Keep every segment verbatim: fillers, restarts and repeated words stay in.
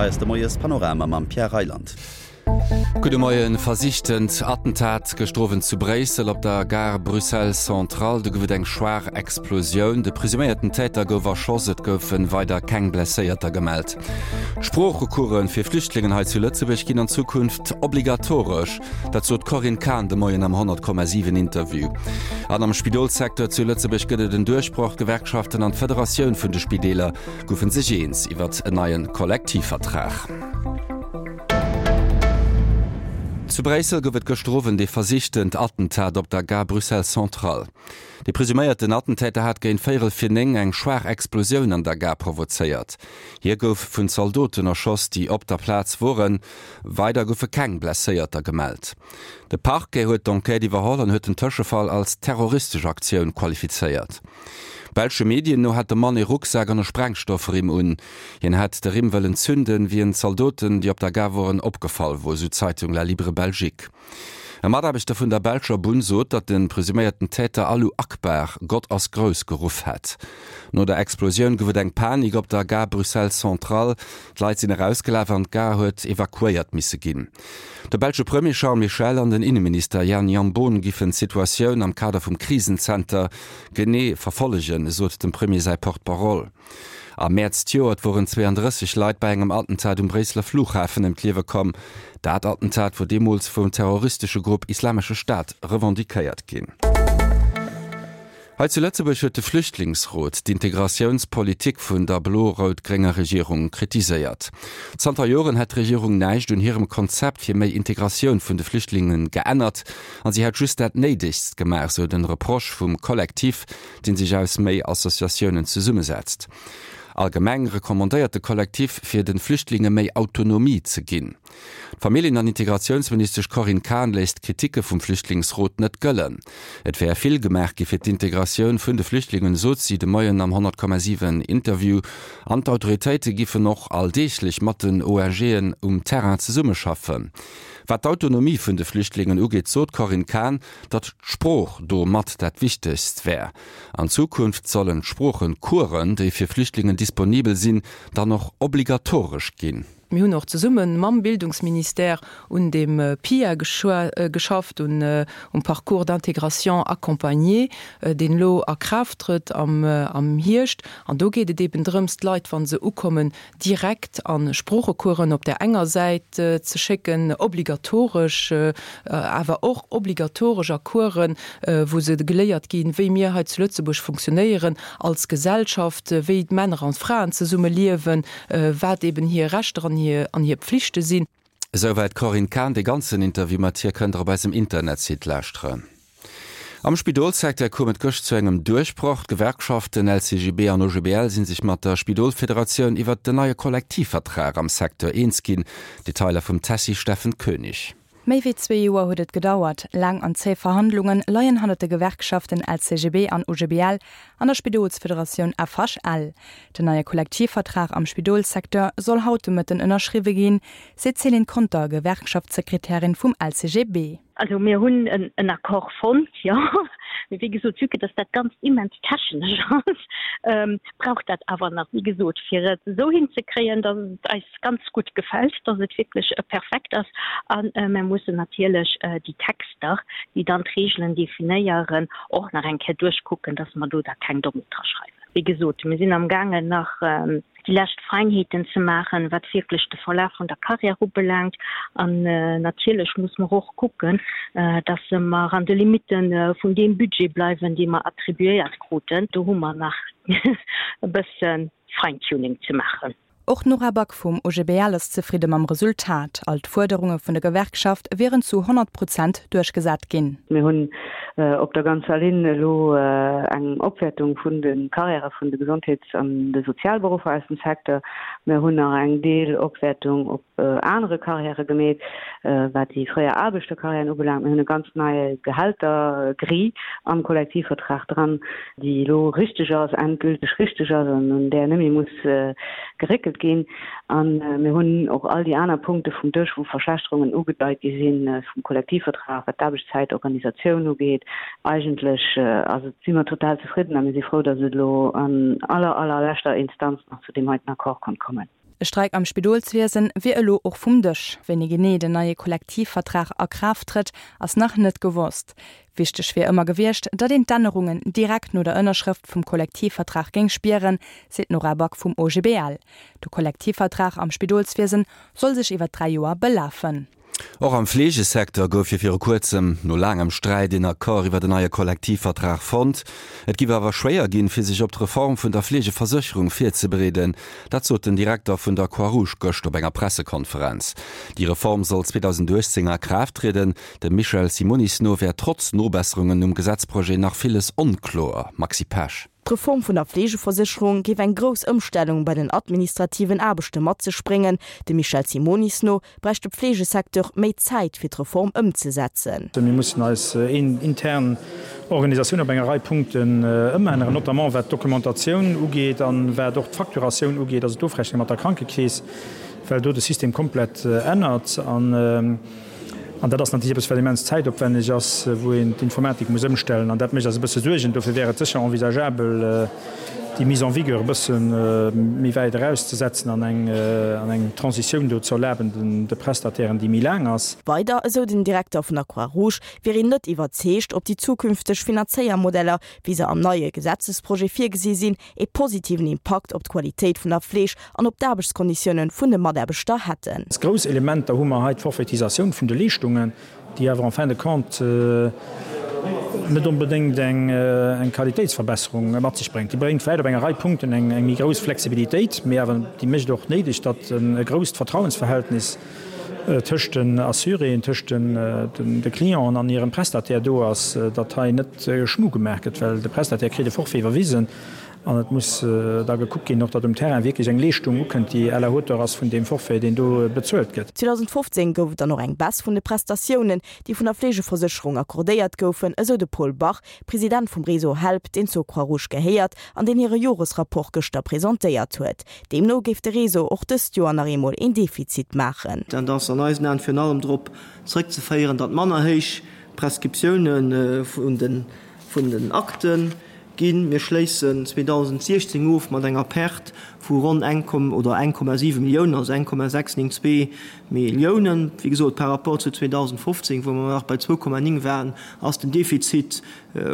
Hei ass de Moiespanorama mam Pierre Reyland. Gudde Moien. Versichtent Attentat gëschter Owend zu Bréissel op der Gare Bruxelles Centrale. Do gouf et eng schwaach Explosioun. De presuméierten Täter gouf erschoss. Et goufe weider keng Blesséierter gemellt. Sproochecoursen fir Flüchtlingen hei zu Lëtzebuerg ginn an Zukunft obligatoresch. Dat sot d'Corinne Cahen de Moien am honnert Komma siwen Interview. An am Spidolssecteur zu Lëtzebuerg gëtt et en Duerchbroch. D'Gewerkschaften an d'Federatioun vun de Spideeler goufe sech eens iwwert en neie Kollektivvertrag. Zu Bréissel gouf et gëschter Owend ee versichtent Attentat op der Gare Bruxelles Centrale. De presuméierten Attentäter hat géint véierel vir néng eng schwaach Explosioun an der Gare provozéiert. Hie gouf vun Zaldoten erschoss, déi op der Plaz woren. Weider goufe keng Blesséierter gemellt. De Parquet huet d'Enquête iwwerholl an huet den Tëschefall als terroristesch Aktioun qualifizéiert. Belsche Medien no hat de Mann ee Rucksak an e Sprengstoffrimm un. Hien hätt de Rimm wëllen zünden, wéi en Zaldoten, déi op der Gare woren, opgefall wor, sou d'Zeitung La Libre Belgique. E Mataarbechter vun der belscher Bunn sot, datt de presuméierten Täter Allu Akbar, Gott ass grouss, geruff hätt. No der Explosioun gouf et eng Panik op der Gare Bruxelles Centrale. D'Leit sinn erausgelaf an d'Gare huet evakuéiert misse ginn. De belsche Premier Charles Michel an den Inneminister Jan Jambon giffen d'Situatioun am Kader vum Krisenzenter genee verfollegen, sot dem Premier säi Porte-parole. Am Mäerz d'Joert woren zweeëndrësseg Leit bei engem Attentat um Bréisseler Flughafen ëm d'Liewe komm. Dat Attentat wor deemools vum terroristesche Grupp Islamesche Staat revendiquéiert ginn. Hei zu Lëtzebuerg huet de Flüchtlingsrot d'Integratiounspolitik vun der blo-rout-grénger Regierung kritiséiert. Zanter Joren hätt d'Regierung näischt un hirem Konzept fir méi Integratioun vun de Flüchtlingen geännert an si hätt just dat Néidegst gemaach, sou den Reproche vum Kollektiv, dee sech aus méi Associatiounen zesummesetzt. Allgemeng recommandéiert de Kollektiv, fir de Flüchtlinge méi Autonomie ze ginn. D'Familljen an Integratiounsministesch Corinne Cahen léisst d'Kriticke vum Flüchtlingsrot net gëllen. Et wär vill gemaach gi fir d'Integratioun vun de Flüchtlingen, sot si de Moien am honnert Komma siwen Interview. An d'Autoritéite giffen och alldeeglech mat den ONGen um Terrain zesummeschaffen. Wat d'Autonomie vun de Flüchtlingen ugeet, sot d'Corinne Cahen, datt d'Sprooch do mat dat Wichtegst wär. An Zukunft sollen d'Sproochecoursen, déi fir Flüchtlingen disponibel sinn, dann och obligatoresch ginn. Mir hunn och zesumme mam Bildungsministère un dem PIA geschafft, um Parcours d'intégration accompagné, deen elo a Kraaft trëtt am Hierscht. An do geet et eben drëms, d'Leit, wa se ukommen, direkt a Sproochecoursen op där enger Säit ze schécken, obligatoresch, awer och obligatoresch a Coursen, wou se geléiert ginn, wéi mir hei zu Lëtzebuerg funktionéieren als Gesellschaft, wéi d'Männer an d'Fraen zesumme liewen, wat eben hir Rechter an hir an hir Pflichte sinn. Esouwäit d'Corinne Cahen. De ganzen Interview mat hir kënnt der op eisem Internetsite lauschteren. Am Spidolssecteur koum et gëscht zu engem Duerchbroch. D'Gewerkschaften L C G B an O G B L si sech mat der Spidolfederatioun iwwert den neie Kollektivvertrag am Secteur eens ginn. Detailer vum Tessy Steffen Koenig. Méi wéi zwee Joer huet et gedauert. Laang an zéi Verhandlunge leien hannert de Gewerkschaften L C G B an O G B L an der Spidolsfederatioun F H L. Den neie Kollektivvertrag am Spidolssecteur soll haut de Mëtten ënnerschriwwe ginn, seet d'Céline Conter, Gewerkschaftssekretärin vum L C G B. Also mir hunn en, en Accord fonnt, jo. Mee wéi gesot, vue que dass dat Ganzt immens technesch ass, ähm, brauch dat awer nach, wéi gesot, fir et esou hinzekréien, dass et eis ganz gutt gefält, dass et wierklech perfekt ass. An mir mussen natierlech déi Texter, déi dann d'Reegelen definéieren, och nach eng Kéier duerchkucken, dass mer do da keng Dommheet dra schreiwen. Wéi gesot, mir sinn amgaangen nach déi lescht Feinheeten ze maachen, wat wierklech de Verlaf vun der Carrière ubelaangt. An natierlech muss mer och kucken, dass mer an de Limitte vun deem Budget bleiwen, dee mer attribuéiert kruten. Do hu mer nach e bësse Feintuning ze maachen. Och d'Nora Back vum O G B L ass zefridde mam Resultat. All d'Fuerderunge vun der Gewerkschaft wieren zu honnert Prozent duerchgesat ginn. Mir hunn op der ganzer Linn elo eng Opwäertung vun de Karriäre vun de Gesondheets an de Sozialberuffer aus dem Secteur. Mir hunn nach eng Deelopwäertung op anere Karriäre gemeet, wat déi fréier Aarbechterkarriären ubelaangt. Mir hunn e ganz nei Gehältergrille am Kollektivvertrag dran, déi elo richteg ass, endgülteg richteg ass an un där net méi muss geréckelt ginn. A mir hunn och all déi aner Punkte vum Dësch, wou Verschlechterungen ugedeit gi sinn vum Kollektivvertrag, wat d'Aarbechtszäitorganisatioun ugeet. Eigentlech ass et, si mer total zefridden a mir si frou, datt et elo an aller, allerleschter Instanz nach zu deem heiten Accord konnt kommen. De Streik am Spidolswiesen wier elo och vum Dësch. Wéini genee den neie Kollektivvertrag a Kraaft trëtt, ass nach net gewosst. Wichteg wier ëmmer gewiescht, datt een d'Ännerungen direkt no der Ënnerschrëft vum Kollektivvertrag géing spieren, seet d'Nora Back vum OGBL. De Kollektivvertrag am Spidolswiesen soll sech iwwer dräi Joer belafen. Och am Fleegesecteur gouf jo viru kuerzem, no laangem Sträit, een Accord iwwer en neie Kollektivvertrag fonnt. Et giff awer schwéier ginn, fir sech op d'Reform vun der Fleegeversécherung virzebereeden. Dat sot den Direkter vun der Croix-Rouge gëscht op enger Pressekonferenz. Déi Reform soll zweedausendachtzéng a Kraaft trieden. Dem Michel Simonis no wär trotz Nobesserungen um Gesetzprojet nach villes onkloer. Maxi Pesch. D'Reform vun der Fleegeversécherung géif eng grouss Ëmstellung bei den administrativen Aarbechte mat sech bréngen. Dem Michel Simonis no bräicht de Fleegesecteur méi Zäit fir d'Reform ëmzesetzen. Mir mussen eis intern Organisatioun op enger Rei Punkten ëmänneren, notamment wat d'Dokumentatioun ugeet an wat och d'Facturatioun ugeet, also d'Ofrechnung mat der Krankekeess, well do de System komplett ännert. An An dat ass natierlech eppes, wat immens zäitopwänneg ass, wou een d'Informatik muss ëmstellen. An dat mécht eis e bësse Suergen. Dofir wär et sécher envisageabel, déi Mise en vigueur e bësse méi wäit erauszesetzen an eng, an eng Transitioun do ze erlaben de Prestatairen, déi méi laang ass. Weider, esou den Direkter vun der Croix-Rouge, wier een net iwwerzeegt, ob déi zukünfteg Finanzéiermodeller, wéi se am neie Gesetzesprojet virgesi sinn, ee positiven Impakt op d'Qualitéit vun der Fleeg an op d'Aarbechtskonditioune vun de Mataarbechter hätten. Als grouss Elementer hu mer hei d'Forfaitisatioun vun de Leeschtungen, déi awer en fin de compte net onbedéngt eng Qualitéitsverbesserung mat sech bréngt. Déi bréngt vläicht op enger Rei Punkten eng méi grouss Flexibilitéit, mee awer déi mécht och néideg, datt e grousst Vertrauensverhältnis tëscht den Assuréen, tëscht de Clienten an hirem Prestataire do ass, datt hei net Schmu gemaach gëtt, well de Prestataire kritt e Forfait iwwerwisen an et muss da gekuckt ginn, och datt um Terrain wierklech eng Leeschtung ukënnt, déi à la hauteur ass vun deem Forfait, deen do bezuelt gëtt. zweedausendfofzéng gouf et dann och eng Baisse vun de Prestatiounen, déi vun der Fleegeversécherung accordéiert goufen, esou de Paul Bach, President vum Réseau Help, deen zur Croix-Rouge gehéiert an deen hire Joresrapport gëschter presentéiert huet. Deemno géif de Réseau och dëst Joer nach eemol een Defizit maachen. Dat ass an eisen Aen virun allem drop zréckzeféieren, datt manner héich Prescriptioune vun den Akte ginn. Mir schléissen zweedausendsiechzéng of mat enger Perte vu ronn eng oder eng Komma siwe Milliounen, also eng Komma sechs néng zwee Milliounen. Wéi gesot, par rapport zu zweedausendfofzéng, wou mer nach bei zwou Komma néng waren, ass den Defizit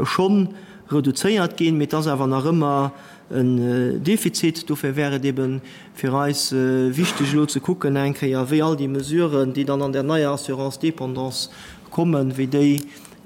schonn reduzéiert ginn, mee et ass awer nach ëmmer en Defizit. Dofir wär et ebe fir eis wichteg elo ze kucken eng Kéier, wéi all déi Mesuren, déi dann an där neier Assurance dépendance kommen, wéi déi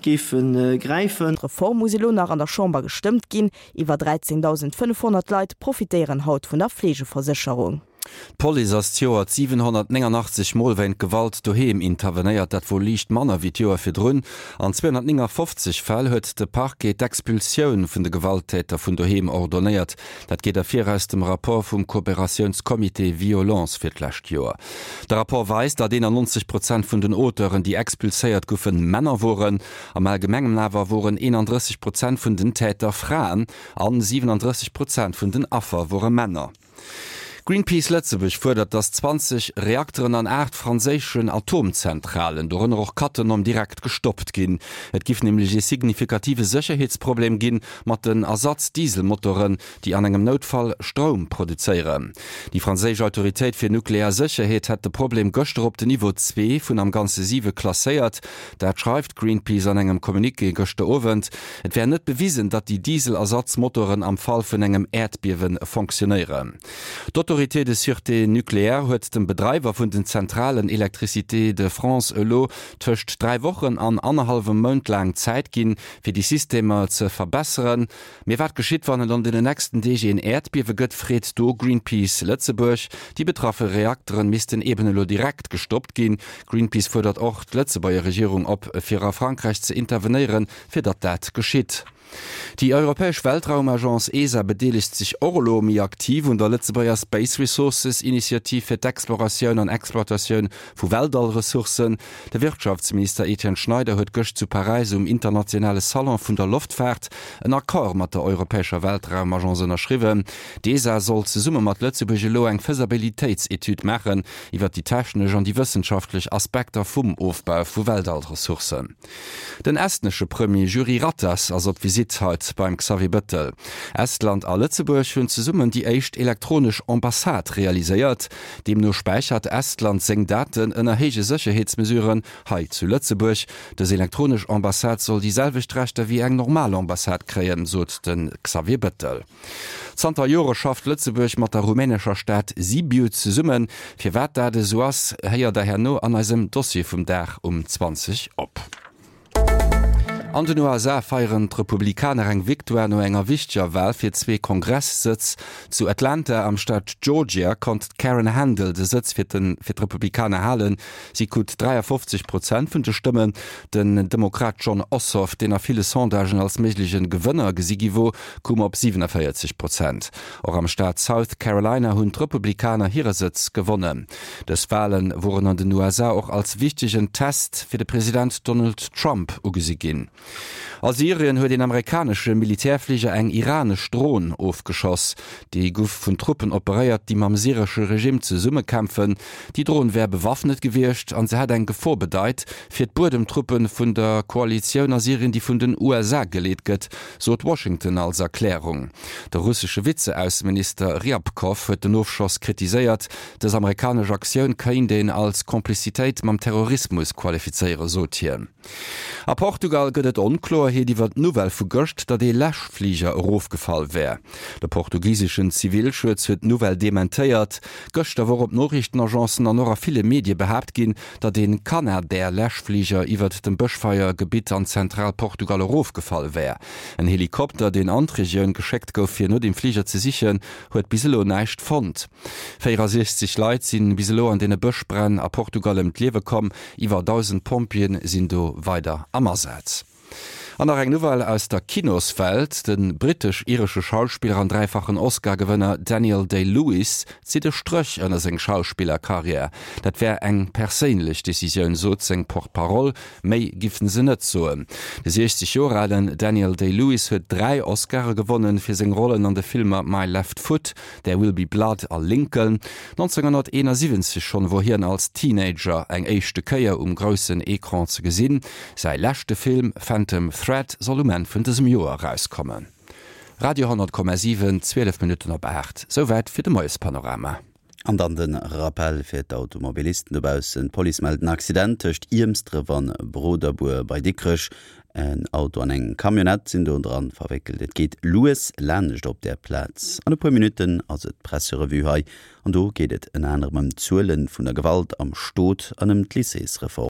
géife gräifen. D'Reform muss elo nach an der Chamber gestëmmt ginn. Iwwer dräizéngdausendfënnefhonnert Leit profitéieren haut vun der Fleegeversécherung. D'Police ass d'Joert siwenhonnertnéngannachtzeg Mol wéint Gewalt doheem intervenéiert, dat wor liicht manner wéi d'Joer virdrun. An zweehonnertnéngafofzeg Fäll huet de Parquet d'Expulsioun vun de Gewalttäter vun doheem ordonéiert. Dat geet ervir aus dem Rapport vum Kooperatiounscomité Violence fir d'lescht Joer. De Rapport weist, datt eenannonzeg Prozent vun den Auteuren, déi expulséiert goufen, Männer woren. Am Allgemengen awer woren eenandrësseg Prozent vun den Täter Fraen an siwenandrësseg Prozent vun den Affer wore Männer. Greenpeace Lëtzebuerg fuerdert, datt zwanzeg Reakteren an aacht franséischen Atomzentralen, dorënner och Cattenom, direkt gestoppt ginn. Et giff nämlech ee signifikative Sécherheetsproblem ginn mat den Ersatz-Dieselmotoren, déi an engem Noutfall Stroum produzéieren. Déi franséisch Autoritéit fir nuklear Sécherheet hätt de Problem gëschter op den Niveau zwee vun am Ganze siwe klasséiert. Dat schreift Greenpeace an engem Communiqué gëschter Owend. Et wär net bewisen, datt déi Diesel-Ersatzmotoren am Fall vun engem Äerdbiewe fonctionnéieren. D'Autorité de sûreté nucléaire huet dem Bedreiwer vun den Zentralen Électricité de France elo tëscht dräi Wochen an annerhallwem Mount laang Zäit ginn, fir déi Systemer ze verbesseren. Mee wat geschitt, wann et an den nächsten Deeg een Äerdbiewe gëtt, freet do Greenpeace Lëtzebuerg. Déi betraffe Reakteren missten eben elo direkt gestoppt ginn. Greenpeace fuerdert och d'Lëtzebuerger Regierung op, fir a Frankräich ze intervenéieren, fir datt dat geschitt. Déi europäesch Weltraumagence ESA bedeelegt sech och elo méi aktiv un der Lëtzebuerger Space Resources Initiativ fir d'Exploratioun an Exploitatioun vu Weltallressourcen. De Wirtschaftsminister Etienne Schneider huet gëscht zu Paräis um internationale Salon vun der Loftfaart en Accord mat der europäescher Weltraumagence ënnerschriwwen. D'ESA soll zesumme mat Lëtzebuerg elo eng Faisabilitéitsetüd maachen iwwer déi technesch an déi wëssenschaftlech Aspekter vum Ofbau vu Weltallressourcen. Den estnesche Premier Jüri Ratas ass op Visitt Visitt haut beim Xavier Bettel. Estland a Lëtzebuerg hunn zesummen déi éischt elektronesch Ambassade realiséiert. Deemno späichert Estland seng Daten ënner héije Sécherheetsmesuren hei zu Lëtzebuerg. Dës elektronesch Ambassade soll déi selwecht Rechter wéi eng normal Ambassade kréien, sot de Xavier Bettel. Zanter Jore schafft Lëtzebuerg mat der rumänescher Stad Sibiu zesummen. Firwat dat esou ass, héiert der herno an eisem Dossier vum Dag um zwanzeg op. An den U S A feieren d'Republikaner eng Victoire no enger wichteger Wal fir zwee Kongress-Sëtz. Zu Atlanta am Staat Georgia konnt d'Karen Handel de Sëtz fir d'Republikaner halen. Si krut dräiafofzeg Prozent vun de Stëmmen. Den Demokrat Jon Ossoff, deen a ville Sondagen als méigleche Gewënner gesi gi wor, koum op siewenavéierzeg Prozent. Och am Staat South Carolina hunn d'Republikaner hire Sëtz gewonnen. Dës Wale woren an den U S A och als wichtegen Test fir de President Donald Trump ugesi ginn. A Syrien huet een amerikanesche Militärfliger eng iranesch Dron ofgeschoss. Déi gouf vun Truppen operéiert, déi mam syresche Regimm zesummekämpfen. Déi Dron wär bewaffnet gewiescht an se hätt eng Gefor bedeit fir d'Buedemtruppe vun der Koalitioun a Syrien, déi vun den U S A geleet gëtt, sot Washington als Erklärung. De russesche Vizeausseminister Ryabkov huet den Ofschoss kritiséiert. Dës amerikanesch Aktioun kéint een als Komplizitéit mam Terrorismus qualifizéieren, sot hien. A Portugal gëtt et Onkloerheet iwwer d'Nouvelle vu gëscht, datt ee Läschfliger erofgefall wär. De portugiseschen Zivilschutz huet d'Nouvelle dementéiert. Gëschter wor op Noriichtenagencen an och a ville Medie behaapt ginn, datt ee Canadair-Läschfliger iwwert dem Bëschfeiergebitt an Zentralportugal erofgefall wär. En Helikopter, deen an d'Regioun geschéckt gouf fir no dem Fliger ze sichen, huet bis elo näischt fonnt. véierundsechzeg Leit si bis elo an deene Bëschbränn a Portugal ëm d'Liewe komm, iwwer dausend Pompjeeë sinn do weider am Asaz. An nach eng Nouvelle aus der Kinoswelt, De brittesch-iresche Schauspiller an dräifachen Oscar-Gewënner Daniel Day-Lewis zitt e Stréch ënner seng Schauspillerkarriär. Dat wär eng perséinlech Decisioun, sot seng Porte-parole, méi géife se net soen. De siechzeg Joer alen Daniel Day-Lewis huet dräi Oscare gewonnen fir seng Rollen an de Filmer My Left Foot, There Will Be Blood a Lincoln. nonzénghonnerteenasiwwenzeg schonn wor hien als Teenager eng éischte Kéier um groussen Ecran ze gesinn. Säi leschte Film Phantom Thread soll um Enn vun dësem Joer erauskommen. Radio honnert Komma siwen, zwielef Minutten op aacht, souwäit fir de Moiespanorama. An dann de Rappel fir d'Automobilisten dobaussen, D'Police mellt en Accident tëscht Iermsdref an Broderbuer bei Dikrech. En Auto an eng Camionnette sinn do dran verwéckelt. Et geet lues laanscht op där Plaz. An e puer Minutten ass et d'Presserevue hei an do geet et ënner anerem ëm d'Zuele vun der Gewalt am Stot an ëm d'Lycéesreform.